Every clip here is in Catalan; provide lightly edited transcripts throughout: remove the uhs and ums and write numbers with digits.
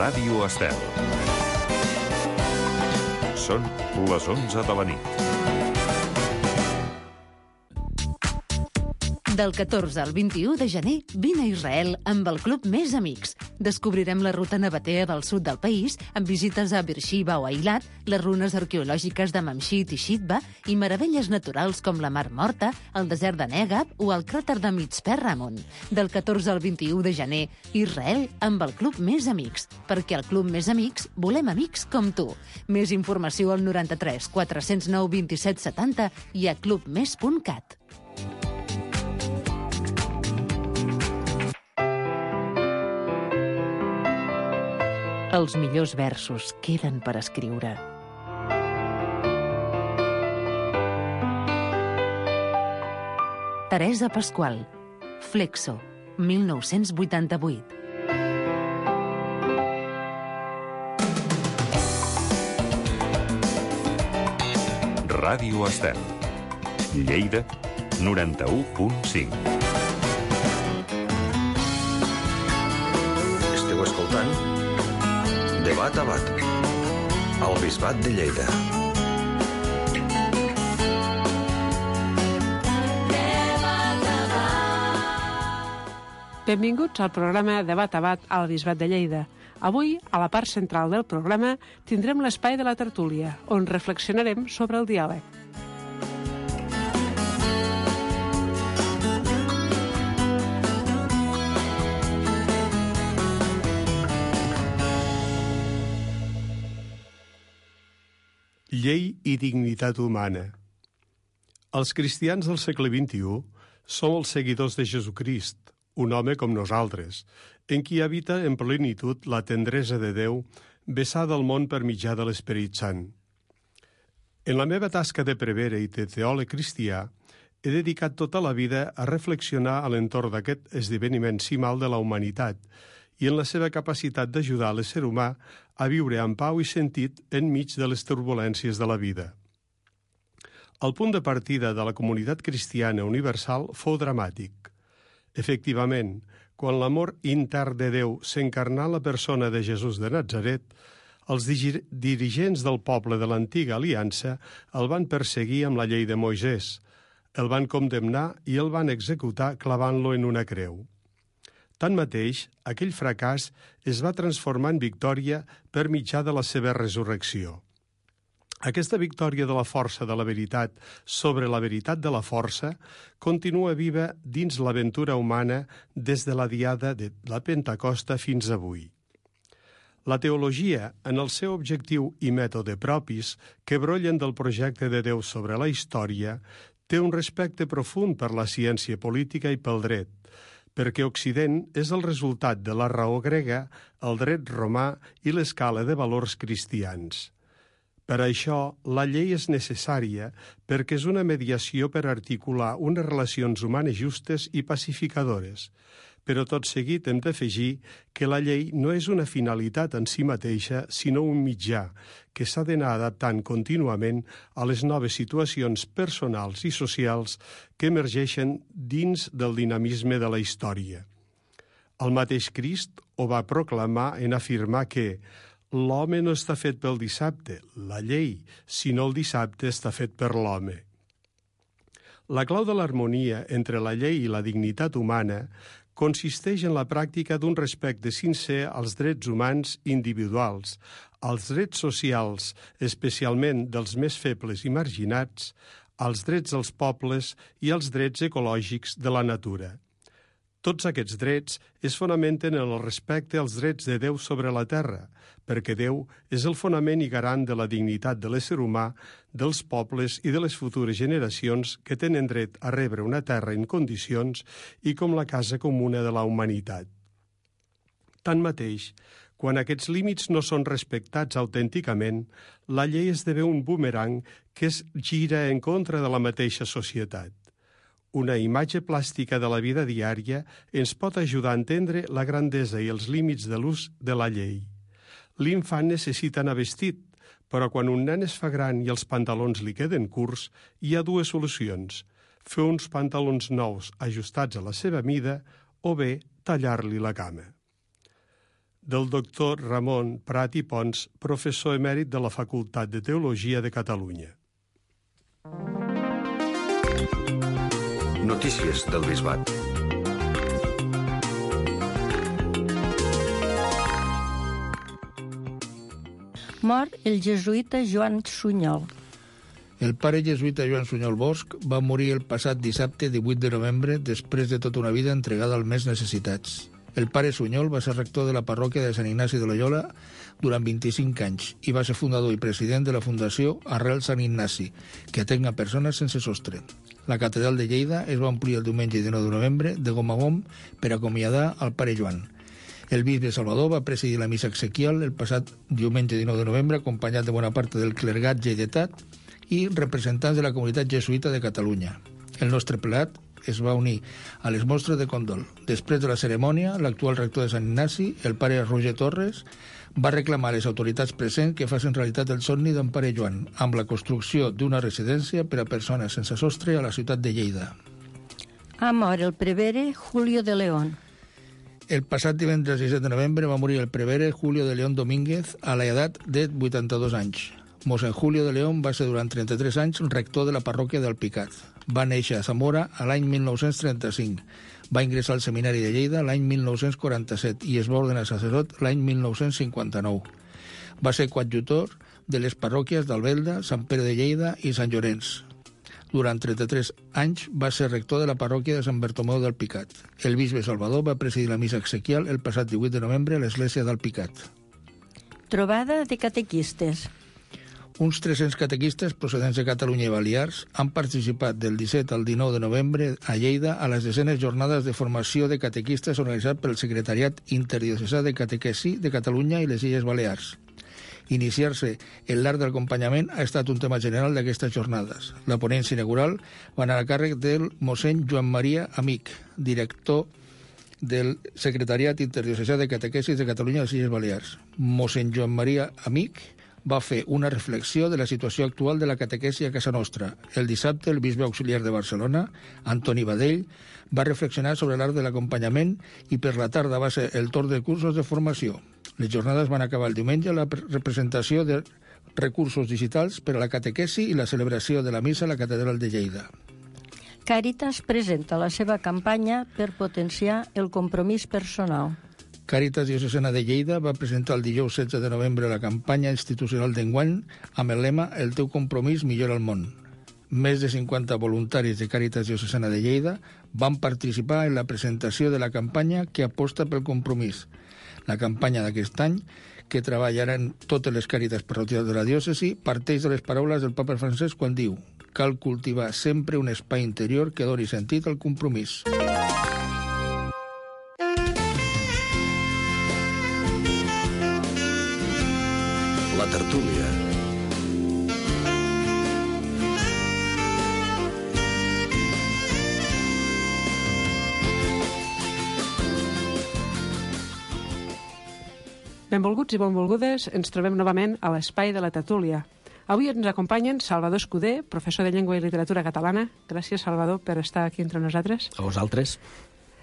Ràdio Estel. Són les 11 de la nit. Del 14 al 21 de gener, vine a Israel amb el Club Més Amics. Descobrirem la ruta nabatea del sud del país, amb visites a Beersheba o Eilat, les runes arqueològiques de Mamshit i Shitba i meravelles naturals com la Mar Morta, el desert de Negab o el cràter de Mitzpe Ramon. Del 14 al 21 de gener, Israel amb el Club Més Amics. Perquè al Club Més Amics volem amics com tu. Més informació al 93 409 27 70 i a clubmes.cat. Els millors versos queden per escriure. Teresa Pasqual, Flexo, 1988. Ràdio Estel. Lleida, 91.5. Esteu escoltant Debat a Bat, al Bisbat de Lleida. Benvinguts al programa Debat a Bat al Bisbat de Lleida. Avui, a la part central del programa, tindrem l'espai de la tertúlia, on reflexionarem sobre el diàleg. Llei i dignitat humana. Els cristians del segle XXI som els seguidors de Jesucrist, un home com nosaltres, en qui habita en plenitud la tendresa de Déu vessada al món per mitjà de l'Esperit Sant. En la meva tasca de prevere i de teòleg cristià, he dedicat tota la vida a reflexionar a l'entorn d'aquest esdeveniment cimal de la humanitat i en la seva capacitat d'ajudar l'ésser humà a viure amb pau i sentit enmig de les turbulències de la vida. El punt de partida de la comunitat cristiana universal fou dramàtic. Efectivament, quan l'amor intern de Déu s'encarnà en la persona de Jesús de Natzaret, els dirigents del poble de l'antiga aliança el van perseguir amb la llei de Moisès, el van condemnar i el van executar clavant-lo en una creu. Tanmateix, aquell fracàs es va transformar en victòria per mitjà de la seva resurrecció. Aquesta victòria de la força de la veritat sobre la veritat de la força continua viva dins l'aventura humana des de la diada de la Pentecosta fins avui. La teologia, en el seu objectiu i mètode propis, que brollen del projecte de Déu sobre la història, té un respecte profund per la ciència política i pel dret, perquè Occident és el resultat de la raó grega, el dret romà i l'escala de valors cristians. Per això, la llei és necessària perquè és una mediació per articular unes relacions humanes justes i pacificadores. Però tot seguit hem d'afegir que la llei no és una finalitat en si mateixa, sinó un mitjà que s'ha d'anar adaptant contínuament a les noves situacions personals i socials que emergeixen dins del dinamisme de la història. El mateix Crist ho va proclamar en afirmar que l'home no està fet pel dissabte, la llei, sinó el dissabte està fet per l'home. La clau de l'harmonia entre la llei i la dignitat humana consisteix en la pràctica d'un respecte sincer als drets humans individuals, als drets socials, especialment dels més febles i marginats, als drets dels pobles i als drets ecològics de la natura. Tots aquests drets es fonamenten en el respecte als drets de Déu sobre la terra, perquè Déu és el fonament i garant de la dignitat de l'ésser humà, dels pobles i de les futures generacions que tenen dret a rebre una terra en condicions i com la casa comuna de la humanitat. Tanmateix, quan aquests límits no són respectats autènticament, la llei esdevé un bumerang que es gira en contra de la mateixa societat. Una imatge plàstica de la vida diària ens pot ajudar a entendre la grandesa i els límits de l'ús de la llei. L'infant necessita anar vestit, però quan un nen es fa gran i els pantalons li queden curts, hi ha dues solucions: fer uns pantalons nous ajustats a la seva mida o bé tallar-li la cama. del doctor Ramon Prat i Pons, professor emèrit de la Facultat de Teologia de Catalunya. Notícies del Bisbat. Mor el jesuïta Joan Sunyol. El pare jesuïta Joan Sunyol Bosch va morir el passat dissabte 18 de novembre després de tota una vida entregada als més necessitats. El pare Sunyol va ser rector de la parròquia de Sant Ignasi de Loyola durant 25 anys i va ser fundador i president de la Fundació Arrel Sant Ignasi, que atén a persones sense sostre. La catedral de Lleida es va omplir el diumenge 19 de novembre de gom a gom per acomiadar al pare Joan. El bisbe Salvador va presidir la missa exequial el passat diumenge 19 de novembre, acompanyat de bona part del clergat lleidetat i representants de la comunitat jesuïta de Catalunya. El nostre prelat es va unir a les mostres de condol. Després de la cerimònia, l'actual rector de Sant Ignasi, el pare Roger Torres, va reclamar a les autoritats presents que facin realitat el somni d'en pare Joan, amb la construcció d'una residència per a persones sense sostre a la ciutat de Lleida. Ha mort el prevere Julio de León. El passat divendres 17 de novembre va morir el prevere Julio de León Domínguez a l'edat de 82 anys. Mossèn Julio de León va ser durant 33 anys rector de la parròquia del Picat. Va néixer a Zamora a l'any 1935. Va ingressar al Seminari de Lleida l'any 1947 i es va ordenar sacerdot l'any 1959. Va ser coadjutor de les parròquies d'Albelda, Sant Pere de Lleida i Sant Llorenç. Durant 33 anys va ser rector de la parròquia de Sant Bartomeu del Picat. El bisbe Salvador va presidir la missa exequial el passat 18 de novembre a l'església del Picat. Trobada de catequistes. Uns 300 catequistes procedents de Catalunya i Balears han participat del 17 al 19 de novembre a Lleida a les desenes jornades de formació de catequistes organitzat pel Secretariat Interdiocesà de Catequesi de Catalunya i les Illes Balears. Iniciar-se en l'art de l'acompanyament ha estat un tema general d'aquestes jornades. La ponència inaugural va anar a càrrec del mossèn Joan Maria Amic, director del Secretariat Interdiocesà de Catequesis de Catalunya i les Illes Balears. Mossèn Joan Maria Amic va fer una reflexió de la situació actual de la catequesi a casa nostra. El dissabte, el bisbe auxiliar de Barcelona, Antoni Badell, va reflexionar sobre l'art de l'acompanyament i per la tarda va ser el torn de cursos de formació. Les jornades van acabar el diumenge amb la representació de recursos digitals per a la catequesi i la celebració de la missa a la catedral de Lleida. Càritas presenta la seva campanya per potenciar el compromís personal. Càritas Diocesana de Lleida va presentar el dijous 16 de novembre la campanya institucional d'enguany amb el lema El teu compromís millora el món. Més de 50 voluntaris de Càritas Diocesana de Lleida van participar en la presentació de la campanya que aposta pel compromís. La campanya d'aquest any, que treballaran totes les càritas parroquials de la diòcesi, parteix de les paraules del papa Francesc quan diu: cal cultivar sempre un espai interior que doni sentit al compromís. La tertúlia. Benvolguts i benvolgudes, ens trobem novament a l'espai de la tertúlia. Avui ens acompanyen Salvador Escudé, professor de Llengua i Literatura Catalana. Gràcies, Salvador, per estar aquí entre nosaltres. A vosaltres.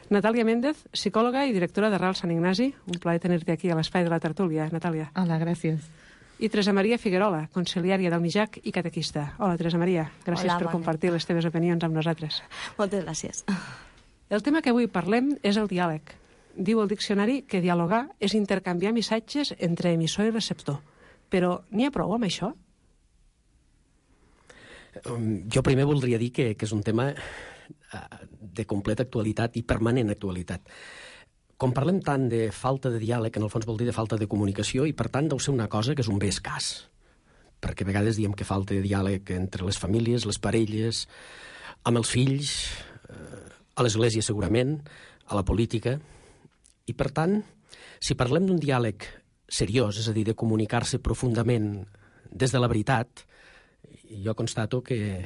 Natàlia Méndez, psicòloga i directora d'Arrel Sant Ignasi. Un plaer tenir-te aquí a l'espai de la tertúlia, Natàlia. Hola, gràcies. I Teresa Maria Figuerola, conciliària del MIJAC i catequista. Hola, Teresa Maria. Gràcies per compartir les teves opinions amb nosaltres. Moltes gràcies. El tema que avui parlem és el diàleg. Diu el diccionari que dialogar és intercanviar missatges entre emissor i receptor. Però n'hi ha prou amb això? Jo primer voldria dir que és un tema de completa actualitat i permanent actualitat. Com parlem tant de falta de diàleg, en el fons vol dir de falta de comunicació, i per tant deu ser una cosa que és un bé escàs. Perquè a vegades diem que falta de diàleg entre les famílies, les parelles, amb els fills, a l'església segurament, a la política. I per tant, si parlem d'un diàleg seriós, és a dir, de comunicar-se profundament des de la veritat, jo constato que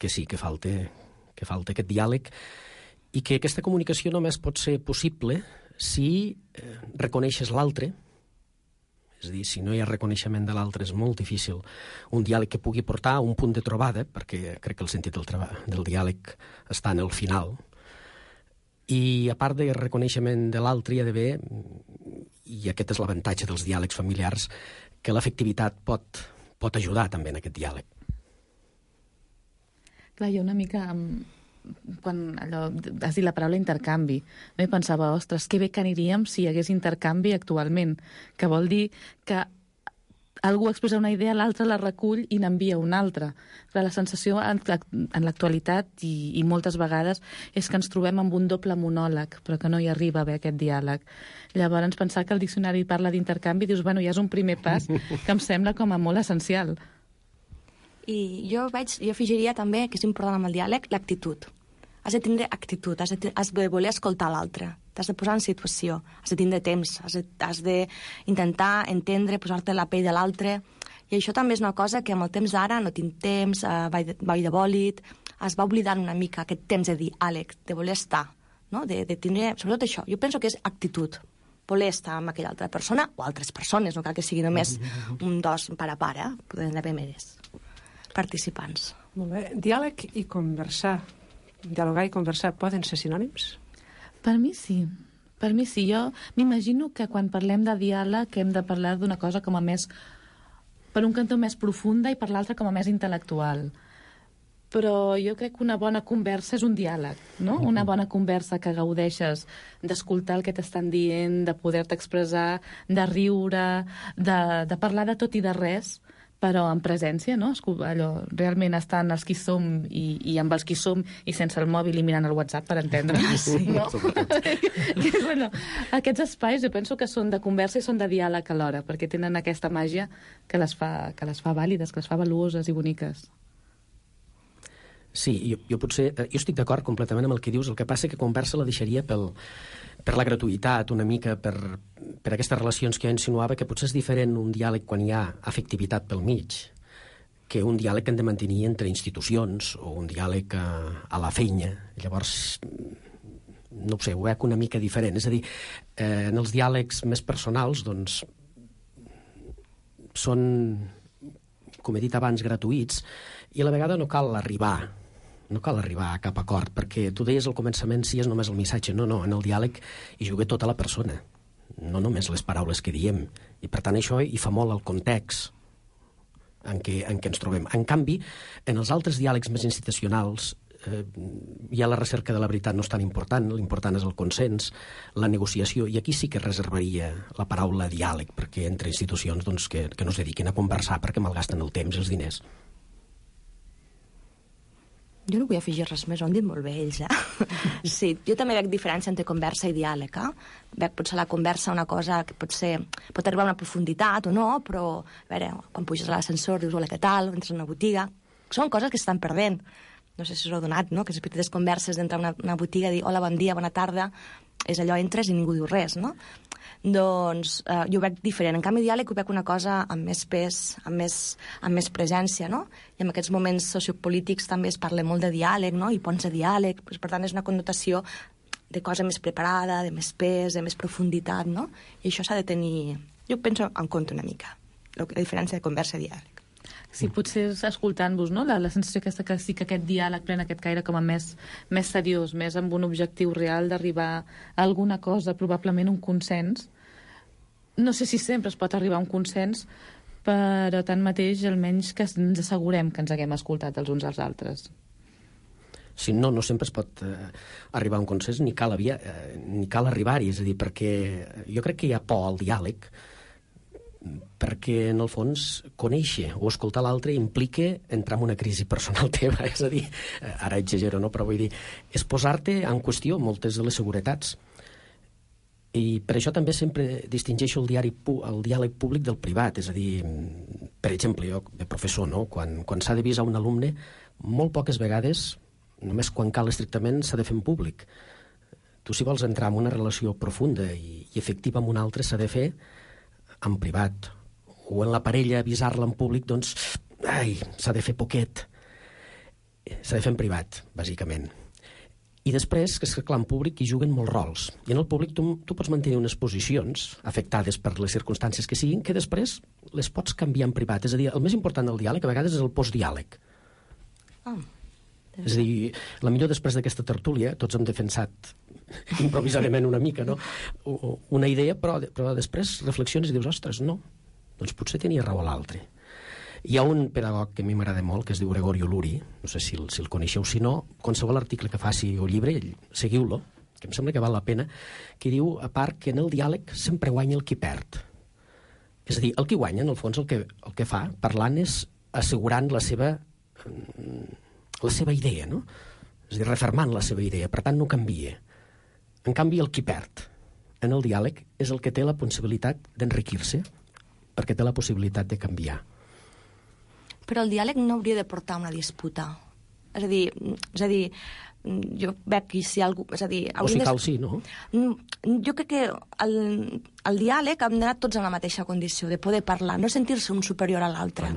sí, que falta aquest diàleg, i que aquesta comunicació només pot ser possible si reconeixes l'altre. És a dir, si no hi ha reconeixement de l'altre és molt difícil un diàleg que pugui portar a un punt de trobada, perquè crec que el sentit del diàleg està en el final. I a part del reconeixement de l'altre hi ha d'haver, i aquest és l'avantatge dels diàlegs familiars, que l'afectivitat pot ajudar també en aquest diàleg. Clar, jo una mica, quan has dit la paraula intercanvi, no? I pensava, ostres, que bé que aniríem si hi hagués intercanvi actualment, que vol dir que algú expressa una idea, l'altre la recull i n'envia una altra. Però la sensació en l'actualitat i moltes vegades és que ens trobem amb un doble monòleg, però que no hi arriba a haver aquest diàleg. Llavors, pensar que el diccionari parla d'intercanvi, dius, bueno, ja és un primer pas que em sembla com a molt essencial. I jo afegiria també que és important amb el diàleg l'actitud. Has de tindre actitud, has de voler escoltar l'altre, t'has de posar en situació, has de tindre temps, has d'intentar entendre, posar-te la pell de l'altre. I això també és una cosa que amb el temps d'ara no tinc temps, vaig de bòlit, es va oblidant una mica aquest temps de diàleg, de voler estar, no? de tindre, sobretot això, jo penso que és actitud, voler estar amb aquella altra persona o altres persones, no cal que sigui només dos pare a pare, poden haver més participants. Molt bé. Diàleg i conversar. Dialogar i conversar poden ser sinònims? Per mi sí. Per mi sí. Jo m'imagino que quan parlem de diàleg hem de parlar d'una cosa com a més, per un cantó més profunda i per l'altre com a més intel·lectual. Però jo crec que una bona conversa és un diàleg, no? Una bona conversa que gaudeixes d'escoltar el que t'estan dient, de poder-te expressar, de riure, de parlar de tot i de res, però en presència, no? Allò, realment estan els qui som i amb els qui som i sense el mòbil i mirant el WhatsApp, per entendre. Sí. No? Bueno, aquests espais jo penso que són de conversa i són de diàleg alhora, perquè tenen aquesta màgia que les fa vàlides, que les fa valuoses i boniques. Sí, jo estic d'acord completament amb el que dius. El que passa que conversa la deixaria per la gratuïtat, una mica, per aquestes relacions que jo insinuava, que potser és diferent un diàleg quan hi ha afectivitat pel mig que un diàleg que hem de mantenir entre institucions o un diàleg a la feina. Llavors, no ho sé, ho veig una mica diferent. És a dir, en els diàlegs més personals, doncs, són, com he dit abans, gratuïts, i a la vegada no cal arribar a cap acord, perquè tu deies al començament si és només el missatge. No, en el diàleg hi juga tota la persona, no només les paraules que diem, i per tant això hi fa molt el context en què ens trobem. En canvi, en els altres diàlegs més institucionals ja la recerca de la veritat no és tan important, l'important és el consens, la negociació, i aquí sí que reservaria la paraula diàleg, perquè entre institucions doncs, que no es dediquin a conversar perquè malgasten el temps i els diners. Jo no vull afegir res més, ho han dit molt bé ells, Sí, jo també veig diferència entre conversa i diàleg, Veig potser la conversa una cosa que pot arribar a una profunditat o no, però, a veure, quan puges a l'ascensor dius, hola, què tal, entres a una botiga, són coses que estan perdent. No sé si us ho heu donat, no?, que les petites converses d'entrar a una botiga, dir hola, bon dia, bona tarda, és allò, entres i ningú diu res, no? Doncs jo ho veig diferent. En canvi, diàleg ho veig una cosa amb més pes, amb més presència, no? I en aquests moments sociopolítics també es parla molt de diàleg, no? I ponts de diàleg, per tant és una connotació de cosa més preparada, de més pes, de més profunditat, no? I això s'ha de tenir, jo penso, en compte una mica, la diferència de conversa i diàleg. Sí, potser escoltant-vos, no? La sensació aquesta que sí que aquest diàleg pren aquest caire com a més seriós, més amb un objectiu real d'arribar a alguna cosa, probablement un consens. No sé si sempre es pot arribar a un consens, però tanmateix almenys que ens assegurem que ens haguem escoltat els uns als altres. Sí, no sempre es pot arribar a un consens ni cal arribar-hi, és a dir, perquè jo crec que hi ha por al diàleg, perquè en el fons conèixer o escoltar l'altre implica entrar en una crisi personal teva, és a dir, ara exagero, no? Però vull dir, és posar-te en qüestió moltes de les seguretats. I per això també sempre distingeixo el diàleg públic del privat, és a dir, per exemple, jo de professor, no? Quan s'ha de visar un alumne, molt poques vegades, només quan cal estrictament, s'ha de fer en públic. Tu, si vols entrar en una relació profunda i efectiva amb un altre, s'ha de fer en privat, o en la parella avisar-la en públic, doncs, s'ha de fer poquet. S'ha de fer en privat, bàsicament. I després, que és clar, en públic hi juguen molts rols. I en el públic tu pots mantenir unes posicions afectades per les circumstàncies que siguin, que després les pots canviar en privat. És a dir, el més important del diàleg a vegades és el postdiàleg. És a dir, la millor després d'aquesta tertúlia, tots hem defensat improvisadament una mica, no? Una idea, però després reflexiones i dius, ostres, no, doncs potser tenia raó l'altre. Hi ha un pedagog que a mi m'agrada molt, que es diu Gregorio Luri, no sé si el coneixeu, si no, qualsevol article que faci o llibre, seguiu-lo, que em sembla que val la pena, que diu, a part, que en el diàleg sempre guanya el qui perd. És a dir, el qui guanya, en el fons, el que fa, parlant, és assegurant la seva idea, no? És a dir, refermant la seva idea, per tant no canvia. En canvi, el qui perd en el diàleg és el que té la possibilitat d'enriquir-se, perquè té la possibilitat de canviar. Però el diàleg no hauria de portar una disputa. És a dir, jo veig que si algú... És a dir, o si cal, sí, no? Jo crec que el diàleg hem d'anar tots en la mateixa condició, de poder parlar, no sentir-se un superior a l'altre.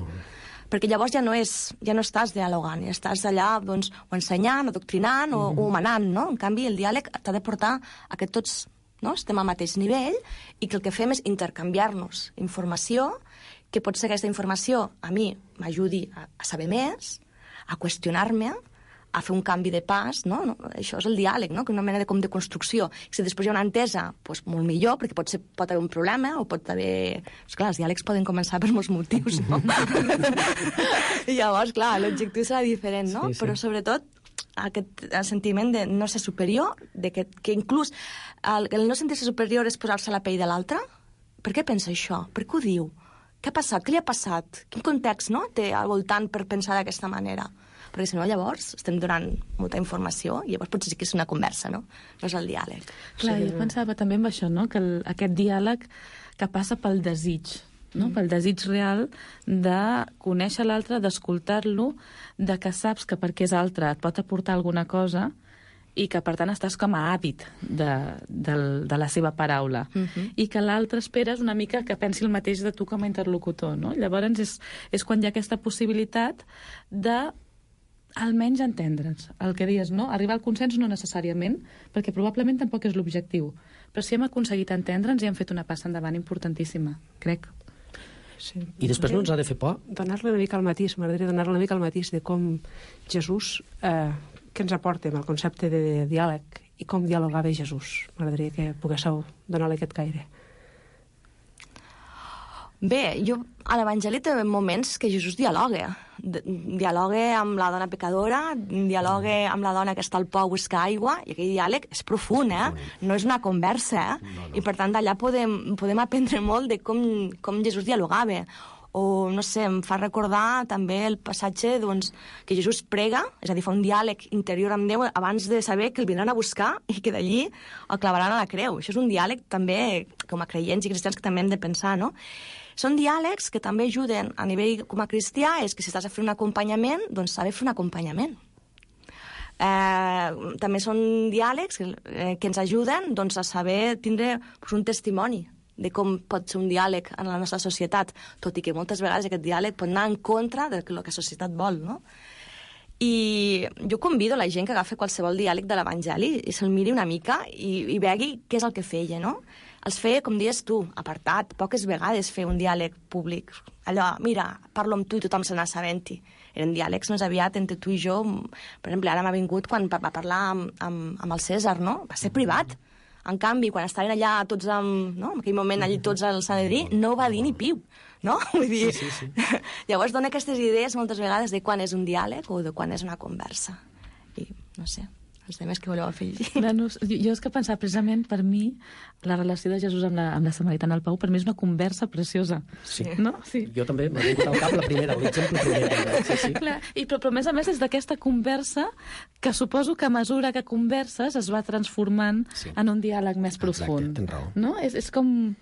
Perquè llavors ja no estàs dialogant, estàs allà doncs, o ensenyant, o doctrinant, o manant, no? En canvi, el diàleg t'ha de portar a que tots estem al mateix nivell i que el que fem és intercanviar-nos informació, que pot ser aquesta informació a mi m'ajudi a saber més, a qüestionar-me, a fer un canvi de pas, no? Això és el diàleg, no? Que una mena de construcció. Si després hi ha una entesa, doncs molt millor, perquè pot haver un problema, o pot haver... Esclar, els diàlegs poden començar per molts motius, no? I llavors, clar, l'objectiu serà diferent, no? Sí. Però sobretot aquest sentiment de no ser superior, de que inclús el no sentir-se superior és posar-se a la pell de l'altre. Per què pensa això? Per què ho diu? Què ha passat? Què li ha passat? Quin context té al voltant per pensar d'aquesta manera? Perquè si no, llavors estem donant molta informació i llavors potser sí que és una conversa, no? No és el diàleg. Clar, jo pensava també en això, no? Que aquest diàleg que passa pel desig, no? Pel desig real de conèixer l'altre, d'escoltar-lo, de que saps que perquè és altre et pot aportar alguna cosa i que, per tant, estàs com a hàbit de la seva paraula. I que l'altre esperes una mica que pensi el mateix de tu com a interlocutor, no? Llavors és quan hi ha aquesta possibilitat de almenys entendre'ns. El que dius, no? Arribar al consens no necessàriament, perquè probablement tampoc és l'objectiu. Però si hem aconseguit entendre'ns i hem fet una passa endavant importantíssima, crec. Sí. I després no ens ha de fer por? Donar-li una mica el matís, m'agradaria donar-li una mica el matís de com Jesús, què ens aporta amb el concepte de diàleg i com dialogava Jesús. M'agradaria que poguéssiu donar-li aquest caire. Bé, a l'Evangeli té moments que Jesús dialoga. Dialoga amb la dona pecadora, dialoga amb la dona que està al pou a buscar aigua, i aquell diàleg és profund, no és una conversa, No. I per tant d'allà podem aprendre molt de com Jesús dialogava. O, no sé, em fa recordar també el passatge que Jesús prega, és a dir, fa un diàleg interior amb Déu abans de saber que el vindran a buscar i que d'allí el clavaran a la creu. Això és un diàleg també, com a creients i cristians, que també hem de pensar, no? Són diàlegs que també ajuden a nivell com a cristià, és que si estàs a fer un acompanyament, doncs saber fer un acompanyament. També són diàlegs que ens ajuden a saber tindre un testimoni de com pot ser un diàleg en la nostra societat, tot i que moltes vegades aquest diàleg pot anar en contra del que la societat vol, no? I jo convido la gent que agafi qualsevol diàleg de l'Evangeli i se'l miri una mica i vegi què és el que feia, no? Els feia, com dius tu, apartat, poques vegades fer un diàleg públic. Allò, mira, parlo amb tu i tothom se n'assabenti. Eren diàlegs més aviat entre tu i jo. Per exemple, ara m'ha vingut quan va parlar amb el Cèsar, no? Va ser privat. En canvi, quan estaven allà tots en aquell moment allà tots al Sanedrí, no va dir ni piu, no? Vull dir, sí. Llavors dona aquestes idees moltes vegades de quan és un diàleg o de quan és una conversa. I no sé, els temes que voleu afegir. Jo és que pensava, precisament, per mi, la relació de Jesús amb la samaritana al Pau, per mi és una conversa preciosa. Sí. No? Sí. Jo també m'ha vingut al cap la primera, l'exemple primer. Sí. Clar, però a més és d'aquesta conversa que suposo que a mesura que converses es va transformant en un diàleg més profund. Exacte, tens raó. No? És com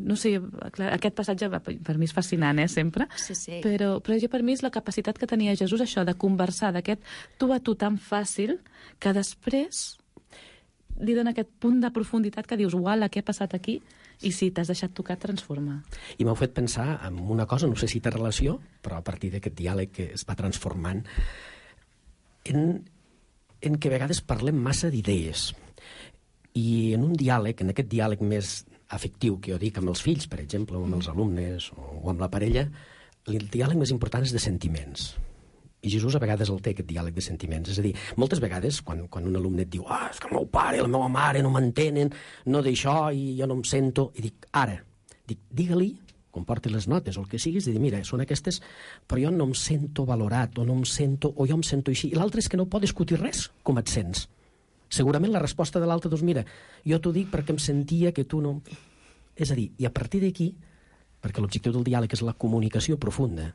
no sé, clar, aquest passatge per mi és fascinant, sempre. Sí. Però jo per mi és la capacitat que tenia Jesús, això, de conversar, d'aquest tu a tu tan fàcil, que després li dona aquest punt de profunditat que dius, uala, què ha passat aquí? I si t'has deixat tocar, transforma. I m'heu fet pensar en una cosa, no sé si té relació, però a partir d'aquest diàleg que es va transformant, en que a vegades parlem massa d'idees. I en un diàleg, en aquest diàleg més afectiu que jo dic amb els fills, per exemple, o amb els alumnes, o amb la parella, el diàleg més important és de sentiments. I Jesús a vegades el té, aquest diàleg de sentiments. És a dir, moltes vegades, quan un alumne et diu és que el meu pare i la meva mare no m'entenen, no d'això, i jo no em sento... I dic, digue-li, quan porti les notes o el que siguis, i dir, mira, són aquestes, però jo no em sento valorat, o no em sento, o jo em sento així. I l'altre és que no pot discutir res, com et sents. Segurament la resposta de l'altre, doncs mira, jo t'ho dic perquè em sentia que tu no... És a dir, i a partir d'aquí, perquè l'objectiu del diàleg és la comunicació profunda,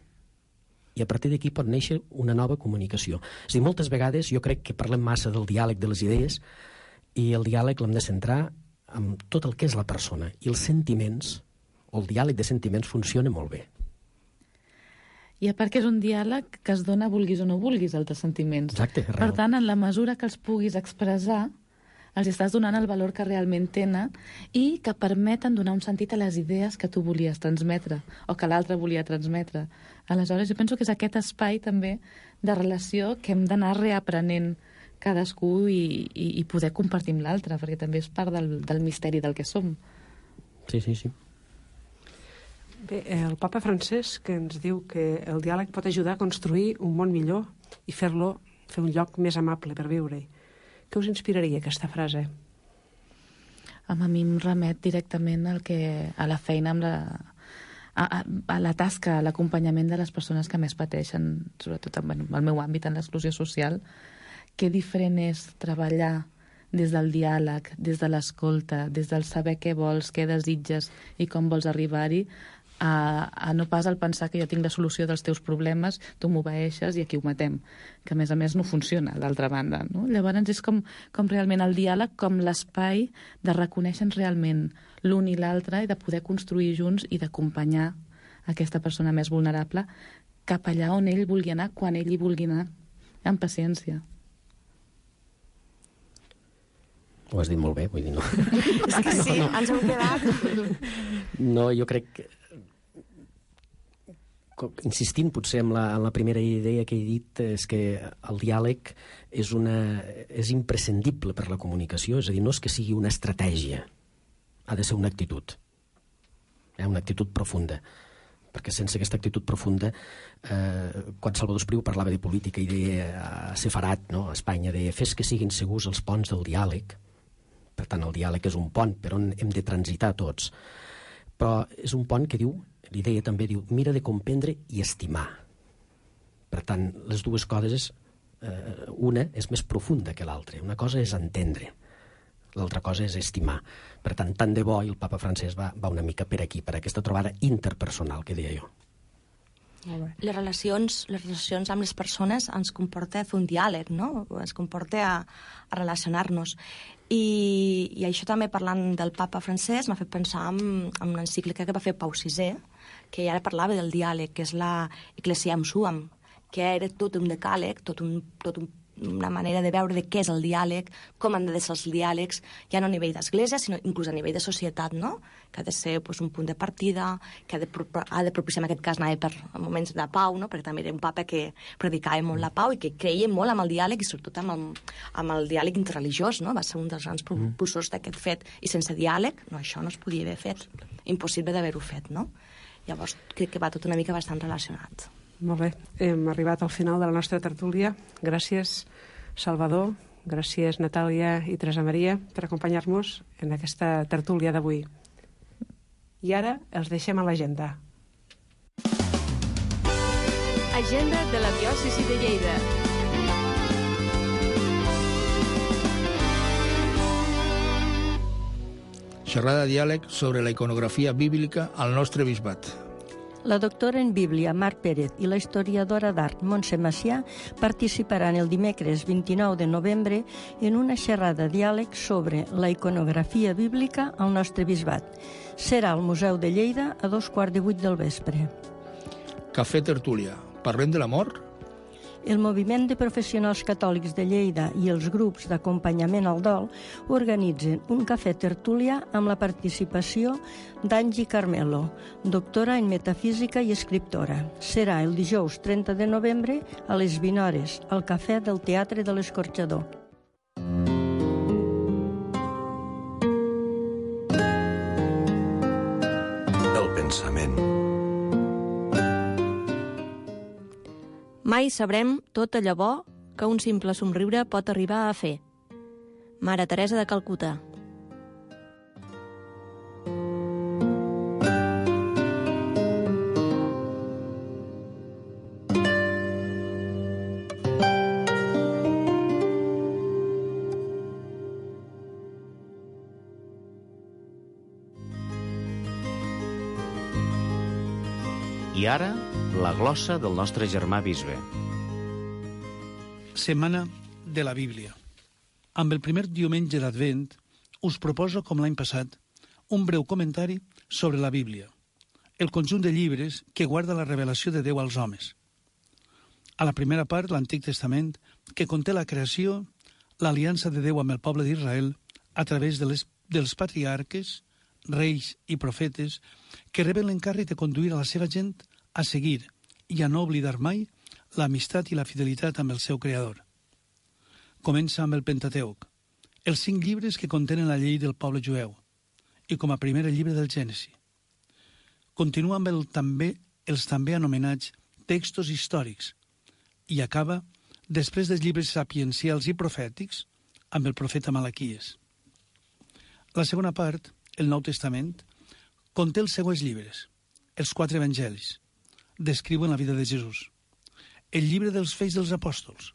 i a partir d'aquí pot néixer una nova comunicació. És a dir, moltes vegades jo crec que parlem massa del diàleg de les idees i el diàleg l'hem de centrar en tot el que és la persona. I els sentiments, o el diàleg de sentiments, funciona molt bé. I a part que és un diàleg que es dona vulguis o no vulguis, els sentiments. Exacte, per tant, en la mesura que els puguis expressar, els estàs donant el valor que realment tenen i que permeten donar un sentit a les idees que tu volies transmetre o que l'altre volia transmetre. Aleshores, jo penso que és aquest espai també de relació que hem d'anar reaprenent cadascú i poder compartir amb l'altre, perquè també és part del misteri del que som. Sí, sí, sí. Bé, el papa Francesc ens diu que el diàleg pot ajudar a construir un món millor i fer un lloc més amable per viure-hi. Què us inspiraria aquesta frase? A mi em remet directament a la feina, a la tasca, a l'acompanyament de les persones que més pateixen, sobretot en el meu àmbit, en l'exclusió social. Que diferent és treballar des del diàleg, des de l'escolta, des del saber què vols, què desitges i com vols arribar-hi, a no pas al pensar que jo tinc la solució dels teus problemes, tu m'obeeixes i aquí ho matem, que a més no funciona d'altra banda, no? Llavors és com realment el diàleg, com l'espai de reconèixer realment l'un i l'altre i de poder construir junts i d'acompanyar aquesta persona més vulnerable cap allà on ell vulgui anar, quan ell hi vulgui anar, amb paciència. Ho has dit molt bé, vull dir, no. És que sí, ens hem quedat. No, jo crec que insistint potser en la primera idea que he dit, és que el diàleg és imprescindible per la comunicació, és a dir, no és que sigui una estratègia, ha de ser una actitud, una actitud profunda, perquè sense aquesta actitud profunda, quan Salvador Espriu parlava de política i deia Sefarat, no? A Espanya, deia fes que siguin segurs els ponts del diàleg, per tant el diàleg és un pont per on hem de transitar tots, però és un pont que diu, l'idea també diu, mira de comprendre i estimar. Per tant, les dues coses, una és més profunda que l'altra. Una cosa és entendre, l'altra cosa és estimar. Per tant, tant de bo, i el papa Francesc va una mica per aquí, per aquesta trobada interpersonal que deia jo. Les relacions amb les persones ens comporta fer un diàleg, no? Ens comporta a relacionar-nos. I això també, parlant del papa Francesc, m'ha fet pensar en una encíclica que va fer Pau VI, que ja parlava del diàleg, que és la Ecclesiam Suam, que era tot un decàleg, una manera de veure de què és el diàleg, com han de ser els diàlegs, ja no a nivell d'església, sinó inclús a nivell de societat, no? Que ha de ser un punt de partida, que ha de propiciar, en aquest cas, anar per moments de pau, no? Perquè també era un papa que predicava molt la pau i que creia molt amb el diàleg i sobretot amb el diàleg interreligiós, no? Va ser un dels grans propulsors d'aquest fet. I sense diàleg, no, això no es podia haver fet. Impossible d'haver-ho fet, no? Llavors, crec que va tot una mica bastant relacionat. Molt bé, hem arribat al final de la nostra tertúlia. Gràcies, Salvador, gràcies, Natàlia i Teresa Maria, per acompanyar-nos en aquesta tertúlia d'avui. I ara els deixem a l'agenda. Agenda de la diòcesi de Lleida. Xerrada de diàleg sobre la iconografia bíblica al nostre bisbat. La doctora en Bíblia, Mar Pérez, i la historiadora d'art, Montse Macià, participaran el dimecres 29 de novembre en una xerrada de diàleg sobre la iconografia bíblica al nostre bisbat. Serà al Museu de Lleida a 7:15 del vespre. Cafè Tertúlia. Parlem de l'amor? El Moviment de Professionals Catòlics de Lleida i els grups d'acompanyament al dol organitzen un cafè tertúlia amb la participació d'Angie Carmelo, doctora en metafísica i escriptora. Serà el dijous 30 de novembre a les 20 hores al Cafè del Teatre de l'Escorxador. El pensament. Mai sabrem tot allò bo que un simple somriure pot arribar a fer. Mare Teresa de Calcuta. I ara, la glossa del nostre germà bisbe. Setmana de la Bíblia. Amb el primer diumenge d'Advent us proposo, com l'any passat, un breu comentari sobre la Bíblia, el conjunt de llibres que guarda la revelació de Déu als homes. A la primera part, l'Antic Testament, que conté la creació, l'aliança de Déu amb el poble d'Israel a través dels patriarques, reis i profetes que reben l'encàrrec de conduir a la seva gent a seguir i a no oblidar mai l'amistat i la fidelitat amb el seu creador. Comença amb el Pentateuc, els 5 llibres que contenen la llei del poble jueu, i com a primer el llibre del Gènesi. Continua amb els també anomenats textos històrics i acaba, després dels llibres sapiencials i profètics, amb el profeta Malaquies. La segona part, el Nou Testament, conté els següents llibres, els 4 evangelis, descriuen la vida de Jesús, el llibre dels Fets dels Apòstols,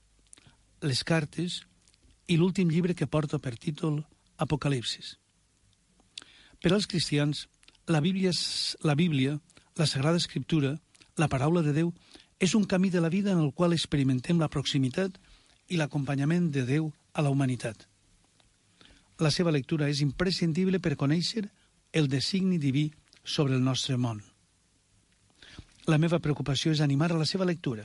les cartes i l'últim llibre que porta per títol Apocalipsis. Per als cristians, la Bíblia, la Sagrada Escriptura, la paraula de Déu, és un camí de la vida en el qual experimentem la proximitat i l'acompanyament de Déu a la humanitat. La seva lectura és imprescindible per conèixer el designi diví sobre el nostre món. La meva preocupació és animar a la seva lectura,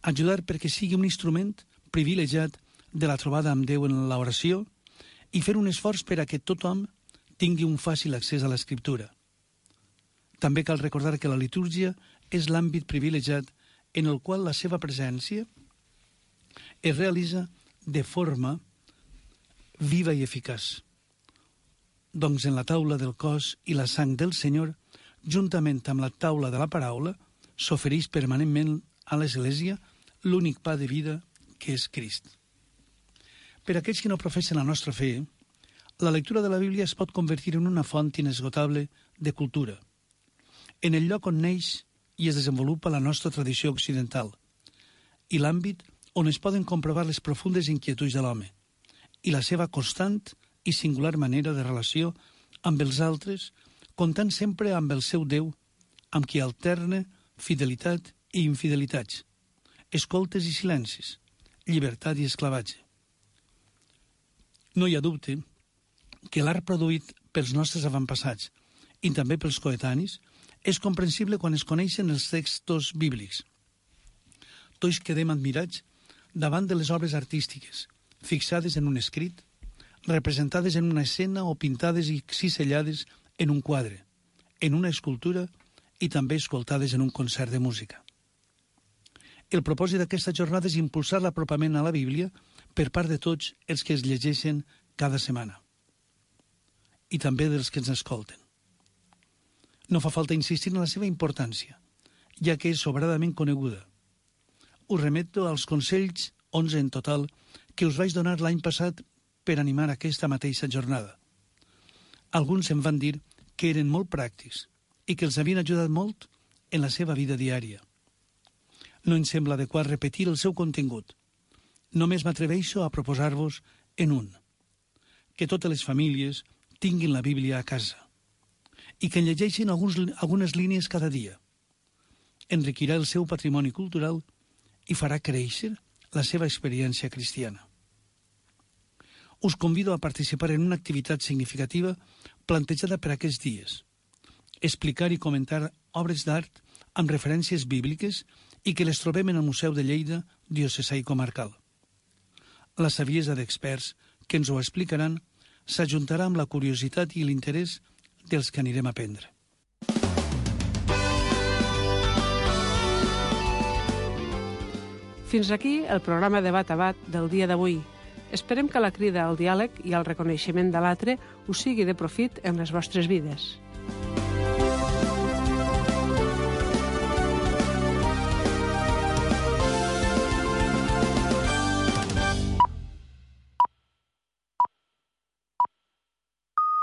ajudar perquè sigui un instrument privilegiat de la trobada amb Déu en l'oració i fer un esforç per a que tothom tingui un fàcil accés a l'Escriptura. També cal recordar que la litúrgia és l'àmbit privilegiat en el qual la seva presència es realitza de forma viva i eficaç. Doncs en la taula del cos i la sang del Senyor, juntament amb la taula de la paraula, s'ofereix permanentment a l'Església l'únic pa de vida que és Crist. Per a aquells que no professen la nostra fe, la lectura de la Bíblia es pot convertir en una font inesgotable de cultura, en el lloc on neix i es desenvolupa la nostra tradició occidental, i l'àmbit on es poden comprovar les profundes inquietuds de l'home, i la seva constant i singular manera de relació amb els altres, comptant sempre amb el seu Déu, amb qui alterna fidelitat i infidelitats, escoltes i silencis, llibertat i esclavatge. No hi ha dubte que l'art produït pels nostres avantpassats i també pels coetanis és comprensible quan es coneixen els textos bíblics. Tots quedem admirats davant de les obres artístiques, fixades en un escrit, representades en una escena o pintades i cisellades en un quadre, en una escultura i també escoltades en un concert de música. El propòsit d'aquesta jornada és impulsar l'apropament a la Bíblia per part de tots els que es llegeixen cada setmana i també dels que ens escolten. No fa falta insistir en la seva importància, ja que és sobradament coneguda. Us remeto als consells, 11 en total, que us vaig donar l'any passat per animar aquesta mateixa jornada. Alguns em van dir que eren molt pràctics i que els havien ajudat molt en la seva vida diària. No em sembla adequat repetir el seu contingut. Només m'atreveixo a proposar-vos en un. Que totes les famílies tinguin la Bíblia a casa i que en llegeixin algunes línies cada dia. Enriquirà el seu patrimoni cultural i farà créixer la seva experiència cristiana. Us convido a participar en una activitat significativa plantejada per aquests dies. Explicar i comentar obres d'art amb referències bíbliques i que les trobem en el Museu de Lleida, diocesà i comarcal. La saviesa d'experts que ens ho explicaran s'ajuntarà amb la curiositat i l'interès dels que anirem a aprendre. Fins aquí el programa Debat a Bat del dia d'avui. Esperem que la crida al diàleg i al reconeixement de l'altre us sigui de profit en les vostres vides.